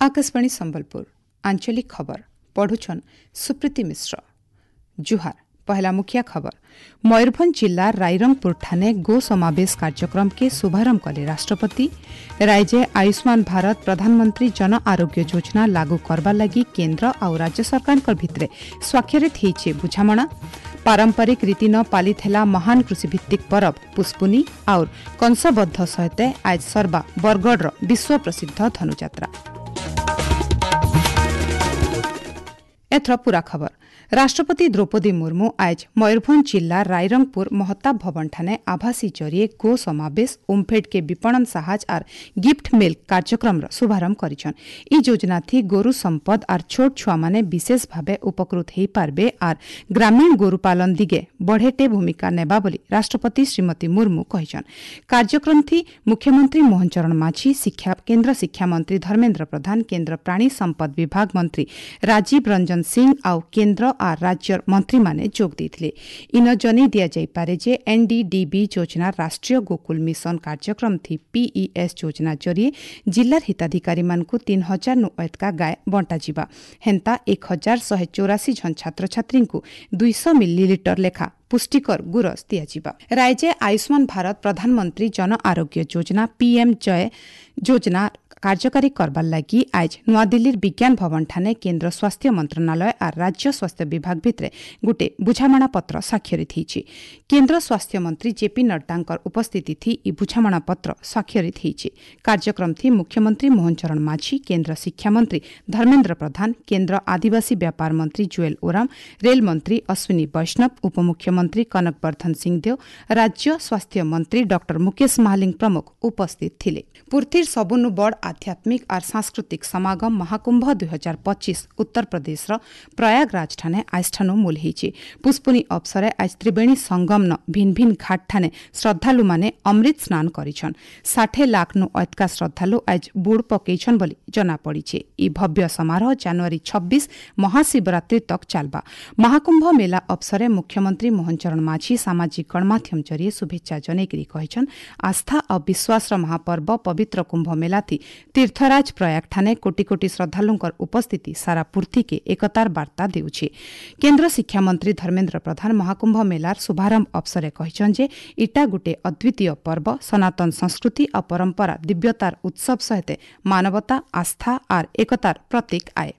आकाशवाणी संबलपुर आंचलिक खबर पढ़ुछन सुप्रीति मिश्र। जुहार। पहला मुखिया खबर। मयूरभंज जिला रायरंगपुर ठाने गो समावेश कार्यक्रम के शुभारंभ कले राष्ट्रपति। राज्य आयुष्मान भारत प्रधानमंत्री जन आरोग्य योजना लागू करवा लगी केंद्र आउ राज्य सरकार भितरे स्वाक्षरित होइছে बुझामणा। पारंपरिक रीति न पालित ହେଲା महान कृषिभित्तिक परब पुष्पुनी और कंसबद्ध सहित आज सर्वा बरगढ़ विश्व प्रसिद्ध धनुजात्रा। एथर पूरा खबर। राष्ट्रपति द्रौपदी मुर्मू आज मयूरभंज जिला रायरंगपुर महताब भवन ठाने आभासी जरिए गो समावेश ओमफेड के विपणन साहाज are gift milk कार्यक्रम शुभारंभ करिछन। ई योजना थी गोरु संपद are छोट छुआ माने विशेष भावे उपकृत होई पारबे are ग्रामीण गोरु पालन दिगे बढ़ेटे भूमिका नेबा बोली राष्ट्रपति श्रीमती मुर्मू कहिछन। कार्यक्रम थी मुख्यमंत्री मोहन चरण माझी, केंद्र शिक्षा मंत्री धर्मेंद्र प्रधान, केंद्र प्राणी संपद विभाग मंत्री राजीव रंजन सिंह आउ केंद्र are राज्य मंत्री माने जोग देइथिले। इन जनी दिया जाइपारे जे एनडीडीबी योजना राष्ट्रीय गोकुल मिशन कार्यक्रम थी पीईएस योजना जरिए जिलार हिताधिकारी मानकु 3000 नु अयतका गाय बंटा जिबा। हेंता 1184 जन छात्र छात्री को 200 मिलीलीटर लेखा पुष्टिकर गुरस दियाजिबा। राज्य आयुष्मान भारत प्रधानमंत्री जन आरोग्य योजना पीएम जय योजना कार्यकारी करबार लागि आज नूआदिल्लीर विज्ञान भवन ठाने केंद्र स्वास्थ्य मंत्रणालय are राज्य स्वास्थ्य विभाग भितरे गोटे बुझामणा पत्र स्वाक्षरित होइछि। केंद्र स्वास्थ्य मंत्री जेपी नड्डांकर उपस्थिति थी इ बुझामणा पत्र स्वाक्षरित होइछि। कार्यक्रम थी मुख्यमंत्री मोहन चरण माझी, केंद्र शिक्षा मंत्री धर्मेंद्र प्रधान, केंद्र आदिवासी व्यापार मंत्री जुएल ओराम, रेल मंत्री अश्विनी वैष्णव, उपमुख्यमंत्री कनक वर्धन सिंहदेव, राज्य स्वास्थ्य मंत्री डॉक्टर मुकेश महालिंग प्रमुख उपस्थित थिले। पृथ्वीर सबुनु बड़ आध्यात्मिक और सांस्कृतिक समागम महाकुंभ 2025 उत्तर प्रदेश प्रयागराज ठाने आज ठानु मूल होइछि। पुष्पुनी अवसरे आज त्रिवेणी संगम न भिन भिन घाट ठाने श्रद्धालु माने अमृत स्नान करिछन। 60 लाख नु अयतका श्रद्धालु आज बुड़ पकेछन बोली जना पड़िছে। इ भव्य समारोह जनवरी 26 महाशिवरात्रि तक चालबा। महाकुंभ मेला अवसरे मुख्यमंत्री मोहन चरण माझी सामाजिक गणमाध्यम जरिए शुभेच्छा जनेकरी कहिछन, आस्था और विश्वास महापर्व पवित्र कुंभ मेला थी तीर्थराज प्रयाग ठाने कोटि कोटि श्रद्धालुंकर उपस्थिति सारा पृथ्वी के एकतार बार्ता देउछि। केंद्र शिक्षा मंत्री धर्मेंद्र प्रधान महाकुंभ मेलार शुभारंभ अवसरे कहिछन जे इटा गुटे अद्वितीय पर्व, सनातन संस्कृति और परंपरा दिव्यतार उत्सव सहित मानवता, आस्था और एकतार प्रतीक आए।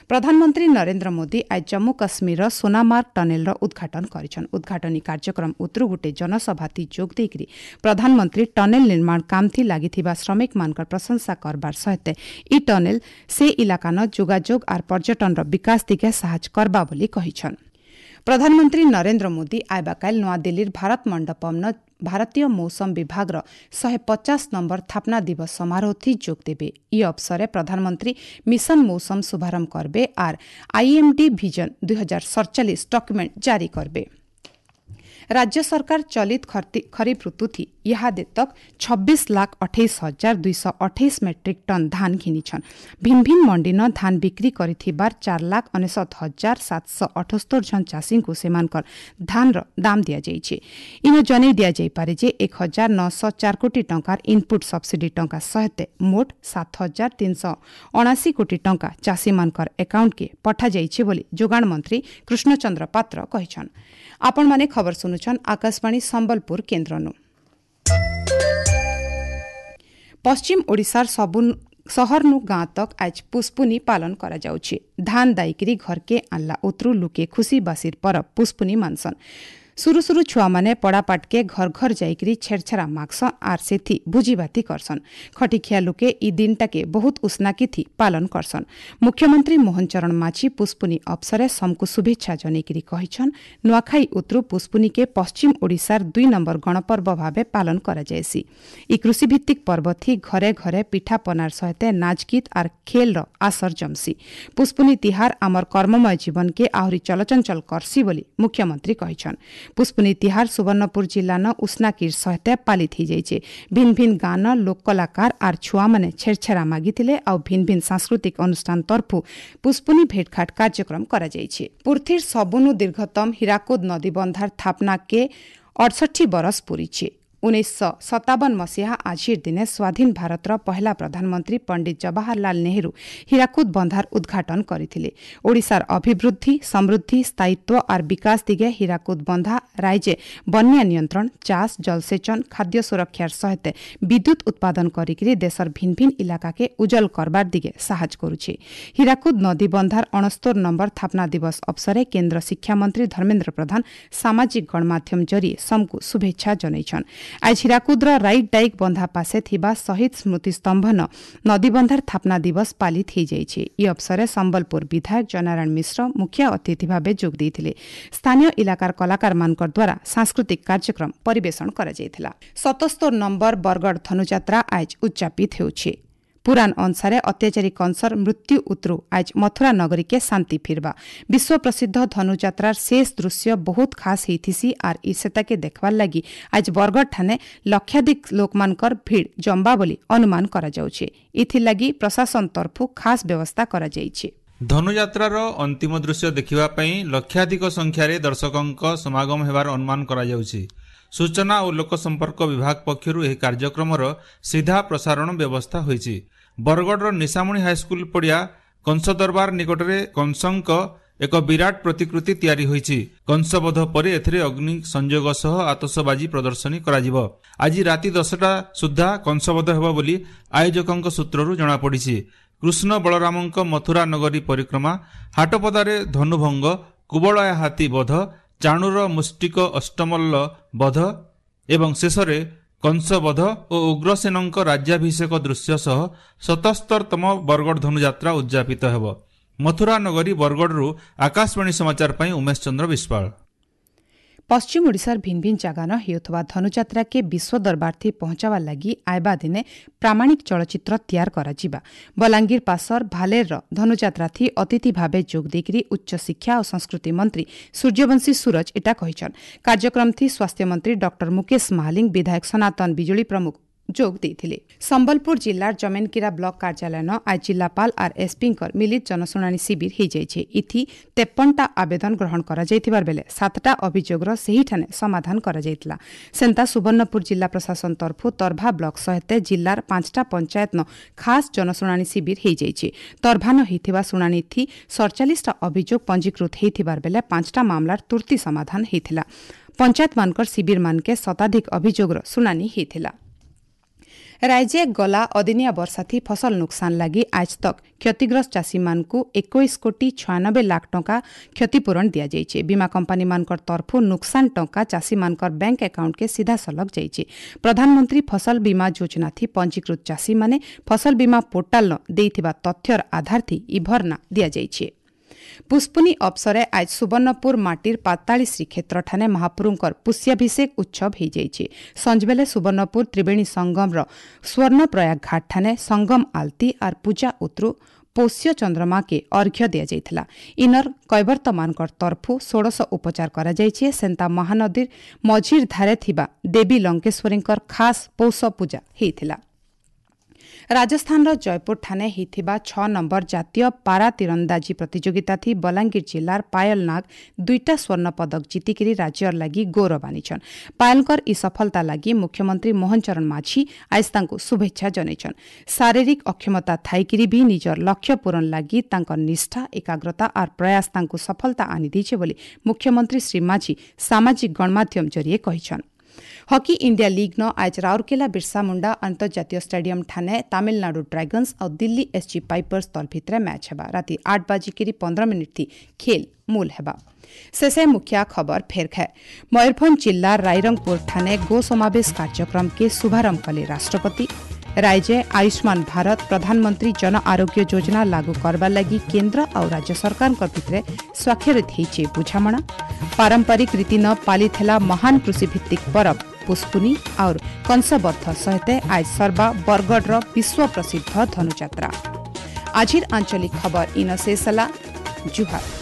प्रधानमंत्री नरेंद्र मोदी आज जम्मू काश्मीर सोनामार्ग टनेल उद्घाटन करिछन। उद्घाटनी कार्यक्रम उतरु गोटे जनसभा थी जोग देइकरी प्रधानमंत्री टनेल निर्माण काम थी लागिथिबा श्रमिक मानकर प्रशंसा करबार सहित इ टनेल से इलाकान जोगाजोग are पर्यटन विकास दिगे साहाଯ୍य करबा बोली कहिछन। प्रधानमंत्री नरेंद्र मोदी आइबाकाल नूआदिल्लीर भारत मंडपम भारतीय मौसम विभाग 150 नंबर स्थापना दिवस समारोह थी जोग देवे। इ अवसरे प्रधानमंत्री मिशन मौसम शुभारंभ करबे are IMD vision 2047 document जारी करबे। राज्य सरकार चलित खरीफ ऋतु थी इहादे तक 26,28,228 मेट्रिक टन धान घिनिछन। भिन भिन मंडी न धान बिक्री करिथिबार 4,59,778 जन चाषी को सेमानकर धान र दाम दिया जाइछि। इन जनै दिया जाइपारे जे 1,904 कोटी टंकार इनपुट सब्सिडी टंका सहित मोट 7,379 कोटी टंका चाषी मानकर अकाउंट के पठा जाइछि बोली जोगाण मंत्री कृष्णचंद्र पात्र कहिछन। आपण माने खबर सुनुछन आकाशवाणी संबलपुर केंद्रनु। पश्चिम ओडिशार सबु सहरनु गाँ तक आज पुष्पुनी पालन करा जाउछि। धान दाइकरी घरके आनला उतरु लुके खुशी बासीर परब पुष्पुनी मानसन। सुरु सुरु छुआ माने पड़ापाटके घर घर जाइकरी छेरछेरा मागसन are सेथी भुजिभाती करसन। खटिखिया लोके इ दिनटाके बहुत उस्नाकी थी पालन करसन। मुख्यमंत्री मोहन चरण माझी पुष्पुनी अवसरे समकु शुभेच्छा जनेकरी कहिछन, नुआखाई उतरु पुष्पुनी के पश्चिम ओडिशार 2 नंबर गणपर्व भावे पालन करा जायसी। इ कृषिभित्तिक पर्व थी घरे घरे पिठापनार सहित नाचगीत are खेल र आसर जमसी। पुष्पुनी तिहार आमर कर्ममय जीवन के आहुरी चलचंचल करसी बोली मुख्यमंत्री कहिछन। पुष्पुनी तिहार सुवर्णपुर जिला न उस्नाकीर सहित पालित हो जाइছে। भिन भिन गान लोक कलाकार are छुआ माने छेरछेरा मागिथिले आउ भिन भिन सांस्कृतिक अनुष्ठान तर्फु पुष्पुनी भेटघाट कार्यक्रम करा जाइছে। पृथ्वीर सबुनु दीर्घतम हीराकुद नदी बंधार थापना के 68 बरस पुरीছে। 1957 ମସିହା ଆଜିର ଦିନେ ସ୍ୱାଧୀନ ଭାରତର ପହିଲା ପ୍ରଧାନମନ୍ତ୍ରୀ ପଣ୍ଡିତ ଜବାହରଲାଲ ନେହେରୁ ହୀରାକୁଦ ବନ୍ଧାର ଉଦ୍ଘାଟନ କରିଥିଲେ। ଓଡ଼ିଶାର ଅଭିବୃଦ୍ଧି, ସମୃଦ୍ଧି, ସ୍ଥାୟିତ୍ୱ ଆର୍ ବିକାଶ ଦିଗେ ହୀରାକୁଦ ବନ୍ଧା ରାଇଜେ ବନ୍ୟା ନିୟନ୍ତ୍ରଣ, ଚାଷ, ଜଳସେଚନ, ଖାଦ୍ୟ ସୁରକ୍ଷାର ସହିତ ବିଦ୍ୟୁତ୍ ଉତ୍ପାଦନ କରିକିରି ଦେଶର ଭିନ୍ ଭିନ୍ ଇଲାକାକେ ଉଜ୍ଜଳ କରବାର ଦିଗେ ସାହାଯ୍ୟ କରୁଛି। ହୀରାକୁଦ ନଦୀ ବନ୍ଧାର 69 ନମ୍ବର ସ୍ଥାପନା ଦିବସ ଅବସରେ କେନ୍ଦ୍ର ଶିକ୍ଷାମନ୍ତ୍ରୀ ଧର୍ମେନ୍ଦ୍ର ପ୍ରଧାନ ସାମାଜିକ ଗଣମାଧ୍ୟମ ଜରିଏ ସମକୁ ଶୁଭେଚ୍ଛା ଜଣାଇଛନ୍। ଆজ ହୀରାକୁଦର ରାଇଟ୍ ଡାଇକ୍ ବନ୍ଧା ପାଶେ ଥିବା ଶହୀଦ ସ୍ମୃତି ସ୍ତମ୍ଭନ ନଦୀବନ୍ଧାର ସ୍ଥାପନା ଦିବସ ପାଳିତ ହୋଇଯାଇଛି। ଏହି ଅବସରରେ ସମ୍ବଲପୁର ବିଧାୟକ ଜୟନାରାୟଣ ମିଶ୍ର ମୁଖ୍ୟ ଅତିଥି ଭାବେ ଯୋଗ ଦେଇଥିଲେ। ସ୍ଥାନୀୟ ଇଲାକାର କଳାକାରମାନଙ୍କ ଦ୍ୱାରା ସାଂସ୍କୃତିକ କାର୍ଯ୍ୟକ୍ରମ ପରିବେଷଣ କରାଯାଇଥିଲା। 77 ନମ୍ବର ବରଗଡ଼ ଧନୁଯାତ୍ରା ଆଜ ଉଦ୍ଯାପିତ ହେଉଛି। ପୁରାଣ ଅନୁସାରେ ଅତ୍ୟାଚାରୀ କଂସର ମୃତ୍ୟୁ ଉତରୁ ଆଜ ମଥୁରା ନଗରୀକେ ଶାନ୍ତି ଫିରବା। ବିଶ୍ୱ ପ୍ରସିଦ୍ଧ ଧନୁଯାତ୍ରାର ଶେଷ ଦୃଶ୍ୟ ବହୁତ ଖାସ୍ ହେଇଥିସି ଆର୍ ଇ ସେତାକେ ଦେଖବାର୍ ଲାଗି ଆଜ ବରଗଡ଼ ଠାନେ ଲକ୍ଷାଧିକ ଲୋକମାନଙ୍କର ଭିଡ଼ ଜମ୍ବା ବୋଲି ଅନୁମାନ କରାଯାଉଛି। ଏଥିଲାଗି ପ୍ରଶାସନ ତରଫୁ ଖାସ୍ ବ୍ୟବସ୍ଥା କରାଯାଇଛି। ଧନୁଯାତ୍ରାର ଅନ୍ତିମ ଦୃଶ୍ୟ ଦେଖିବା ପାଇଁ ଲକ୍ଷାଧିକ ସଂଖ୍ୟାରେ ଦର୍ଶକଙ୍କ ସମାଗମ ହେବାର ଅନୁମାନ କରାଯାଉଛି। ସୂଚନା ଓ ଲୋକସମ୍ପର୍କ ବିଭାଗ ପକ୍ଷରୁ ଏହି କାର୍ଯ୍ୟକ୍ରମର ସିଧା ପ୍ରସାରଣ ବ୍ୟବସ୍ଥା ହୋଇଛି। ବରଗଡ଼ର ନିଶାମଣି ହାଇସ୍କୁଲ ପଡ଼ିଆ କଂସ ଦରବାର ନିକଟରେ କଂସଙ୍କ ଏକ ବିରାଟ ପ୍ରତିକୃତି ତିଆରି ହୋଇଛି। କଂସବଧ ପରେ ଏଥିରେ ଅଗ୍ନି ସଂଯୋଗ ସହ ଆତସବାଜି ପ୍ରଦର୍ଶନୀ କରାଯିବ। ଆଜି ରାତି 10ଟା ସୁଦ୍ଧା କଂସବଧ ହେବ ବୋଲି ଆୟୋଜକଙ୍କ ସୂତ୍ରରୁ ଜଣାପଡ଼ିଛି। କୃଷ୍ଣ ବଳରାମଙ୍କ ମଥୁରା ନଗରୀ ପରିକ୍ରମା, ହାଟପଦାରେ ଧନୁଭଙ୍ଗ, କୁବଳୟା ହାତୀ ବଧ, ଚାଣୁର ମୁଷ୍ଟିକ ଅଷ୍ଟମଲ୍ଲ ବଧ ଏବଂ ଶେଷରେ କଂସବଧ ଓ ଉଗ୍ରସେନଙ୍କ ରାଜ୍ୟାଭିଷେକ ଦୃଶ୍ୟ ସହ 77ତମ ବରଗଡ଼ ଧନୁଯାତ୍ରା ଉଦ୍ଯାପିତ ହେବ। ମଥୁରା ନଗରୀ ବରଗଡ଼ରୁ ଆକାଶବାଣୀ ସମାଚାର ପାଇଁ ଉମେଶ ଚନ୍ଦ୍ର ବିଶ୍ୱାଳ। ପଶ୍ଚିମ ଓଡ଼ିଶାର ଭିନ୍ ଭିନ୍ ଜାଗାନ ହେଉଥିବା ଧନୁଯାତ୍ରାକେ ବିଶ୍ୱ ଦରବାରଥି ପହଞ୍ଚାବାର ଲାଗି ଆଇବା ଦିନେ ପ୍ରାମାଣିକ ଚଳଚ୍ଚିତ୍ର ତିଆର କରାଯିବା। ବଲାଙ୍ଗୀର ପାସର ଭାଲେରର ଧନୁଯାତ୍ରାଥି ଅତିଥି ଭାବେ ଯୋଗ ଦେଇକରି ଉଚ୍ଚଶିକ୍ଷା ଓ ସଂସ୍କୃତି ମନ୍ତ୍ରୀ ସୂର୍ଯ୍ୟବଂଶୀ ସୂରଜ ଏଟା କହିଛନ୍। କାର୍ଯ୍ୟକ୍ରମଥି ସ୍ୱାସ୍ଥ୍ୟମନ୍ତ୍ରୀ ଡକ୍ଟର ମୁକେଶ ମହାଲିଙ୍ଗ, ବିଧାୟକ ସନାତନ ବିଜୁଳି ପ୍ରମୁଖ ଯୋଗ ଦେଇଥିଲେ। ସମ୍ବଲପୁର ଜିଲ୍ଲାର ଜମେନକିରା ବ୍ଲକ କାର୍ଯ୍ୟାଳୟନ ଆଜ ଜିଲ୍ଲାପାଳ ଆର୍ ଏସ୍ପିଙ୍କର ମିଳିତ ଜନଶୁଣାଣି ଶିବିର ହୋଇଯାଇଛି। ଇଥି 53ଟା ଆବେଦନ ଗ୍ରହଣ କରାଯାଇଥିବାର ବେଲେ 7ଟା ଅଭିଯୋଗର ସେହିଠାନେ ସମାଧାନ କରାଯାଇଥିଲା। ସେନ୍ତା ସୁବର୍ଣ୍ଣପୁର ଜିଲ୍ଲା ପ୍ରଶାସନ ତରଫୁ ତରଭା ବ୍ଲକ ସହିତ ଜିଲ୍ଲାର 5ଟା ପଞ୍ଚାୟତନ ଖାସ୍ ଜନଶୁଣାଣି ଶିବିର ହୋଇଯାଇଛି। ତରଭାନ ହୋଇଥିବା ଶୁଣାଣିଥି 47ଟା ଅଭିଯୋଗ ପଞ୍ଜୀକୃତ ହୋଇଥିବାର ବେଲେ 5ଟା ମାମଲାର ତୁର୍ତ୍ତି ସମାଧାନ ହୋଇଥିଲା। ପଞ୍ଚାୟତମାନଙ୍କର ଶିବିରମାନକେ ଶତାଧିକ ଅଭିଯୋଗର ଶୁଣାଣି ହୋଇଥିଲା। ରାଜ୍ୟ ଗଲା ଅଦିନିଆ ବର୍ଷାଥି ଫସଲ ନୁକସାନ ଲାଗି ଆଜ ତକ୍ କ୍ଷତିଗ୍ରସ୍ତ ଚାଷୀମାନଙ୍କୁ 21 କୋଟି 96 ଲାଖ ଟଙ୍କା କ୍ଷତିପୂରଣ ଦିଆଯାଇଛି। ବୀମା କମ୍ପାନୀମାନଙ୍କର ତରଫୁ ନୁକସାନ ଟଙ୍କା ଚାଷୀମାନଙ୍କର ବ୍ୟାଙ୍କ ଆକାଉଣ୍ଟକେ ସିଧାସଳଖ ଯାଇଛି। ପ୍ରଧାନମନ୍ତ୍ରୀ ଫସଲ ବୀମା ଯୋଜନାଥି ପଞ୍ଜୀକୃତ ଚାଷୀମାନେ ଫସଲ ବୀମା ପୋର୍ଟାଲ ଦେଇଥିବା ତଥ୍ୟର ଆଧାରଥି ଇ ଭରଣା ଦିଆଯାଇଛି। ପୁଷ୍ପୁନି ଅବସରେ ଆଜ ସୁବର୍ଣ୍ଣପୁର ମାଟିର ପାତାଳୀ ଶ୍ରୀକ୍ଷେତ୍ରଠାନେ ମହାପ୍ରଭୁଙ୍କର ପୁଷ୍ୟାଭିଷେକ ଉତ୍ସବ ହୋଇଯାଇଛି। ସଞ୍ଜବେଲେ ସୁବର୍ଣ୍ଣପୁର ତ୍ରିବେଣୀ ସଙ୍ଗମର ସ୍ୱର୍ଣ୍ଣପ୍ରୟାଗ ଘାଟଠାନେ ସଙ୍ଗମ ଆଲତି ଆର୍ ପୂଜା ଉତରୁ ପୌଷ୍ୟ ଚନ୍ଦ୍ରମାକେ ଅର୍ଘ୍ୟ ଦିଆଯାଇଥିଲା। ଇନର କୈବର୍ତ୍ତମାନଙ୍କର ତରଫୁ ଷୋଡ଼ଶ ଉପଚାର କରାଯାଇଛି। ସେନ୍ତା ମହାନଦୀର ମଝିର ଧାରେ ଥିବା ଦେବୀ ଲଙ୍କେଶ୍ୱରୀଙ୍କର ଖାସ୍ ପୌଷ ପୂଜା ହୋଇଥିଲା। ରାଜସ୍ଥାନର ଜୟପୁରଠାନେ ହୋଇଥିବା 6 ନମ୍ବର ଜାତୀୟ ପାରା ତୀରନ୍ଦାଜୀ ପ୍ରତିଯୋଗିତାଥି ବଲାଙ୍ଗୀର ଜିଲ୍ଲାର ପାୟଲ ନାଗ 2ଟା ସ୍ୱର୍ଣ୍ଣ ପଦକ ଜିତିକିରି ରାଜ୍ୟର ଲାଗି ଗୌରବ ଆନିଛନ୍। ପାୟଲଙ୍କର ଇ ସଫଳତା ଲାଗି ମୁଖ୍ୟମନ୍ତ୍ରୀ ମୋହନ ଚରଣ ମାଝୀ ଆଜ ତାଙ୍କୁ ଶୁଭେଚ୍ଛା ଜଣାଇଛନ୍। ଶାରୀରିକ ଅକ୍ଷମତା ଥାଇକିରି ବି ନିଜର ଲକ୍ଷ୍ୟ ପୂରଣ ଲାଗି ତାଙ୍କ ନିଷ୍ଠା, ଏକାଗ୍ରତା ଆର୍ ପ୍ରୟାସ ତାଙ୍କୁ ସଫଳତା ଆଣିଦେଇছে ବୋଲି ମୁଖ୍ୟମନ୍ତ୍ରୀ ଶ୍ରୀ ମାଝୀ ସାମାଜିକ ଗଣମାଧ୍ୟମ ଜରିଏ କହିଛନ୍। ହକି ଇଣ୍ଡିଆ ଲିଗ୍ ନ ଆଜ ରାଉରକେଲା ବିର୍ସା ମୁଣ୍ଡା ଅନ୍ତର୍ଜାତୀୟ ଷ୍ଟାଡିୟମ ଠାନେ ତାମିଲନାଡୁ ଡ୍ରାଗନ୍ସ ଆଉ ଦିଲ୍ଲୀ ଏସ୍ଜି ପାଇପର୍ସ ଦଳ ଭିତରେ ମ୍ୟାଚ୍ ହେବା। ରାତି 8:15 ଥି ଖେଲ ମୂଲ ହେବା। ଶେଷେ ମୁଖ୍ୟ ଖବର ଫେର ଖାଏ। ମୟୂରଭଞ୍ଜ ଜିଲ୍ଲା ରାଇରଙ୍ଗପୁର ଠାନେ ଗୋ ସମାବେଶ କାର୍ଯ୍ୟକ୍ରମ କେ ଶୁଭାରମ୍ଭ କଲେ ରାଷ୍ଟ୍ରପତି। ରାଜ୍ୟ ଆୟୁଷ୍ମାନ ଭାରତ ପ୍ରଧାନମନ୍ତ୍ରୀ ଜନ ଆରୋଗ୍ୟ ଯୋଜନା ଲାଗୁ କରବାର ଲାଗି କେନ୍ଦ୍ର ଆଉ ରାଜ୍ୟ ସରକାରଙ୍କ ଭିତରେ ସ୍ୱାକ୍ଷରିତ ହୋଇଛି ବୁଝାମଣା। ପାରମ୍ପରିକ ରୀତି ନ ପାଳିଥିଲା ମହାନ କୃଷିଭିତ୍ତିକ ପରବ ପୁଷ୍ପୁନି और कंसବଦ୍ଧ ସହିତ ଆଜ ସର୍ବା ବରଗଡ଼ର ବିଶ୍ୱ ପ୍ରସିଦ୍ଧ ଧନୁଯାତ୍ରା। ଆଜିର ଆଞ୍ଚଳିକ ଖବର ଇନ ଶେଷ ହେଲା। ଜୁହାର।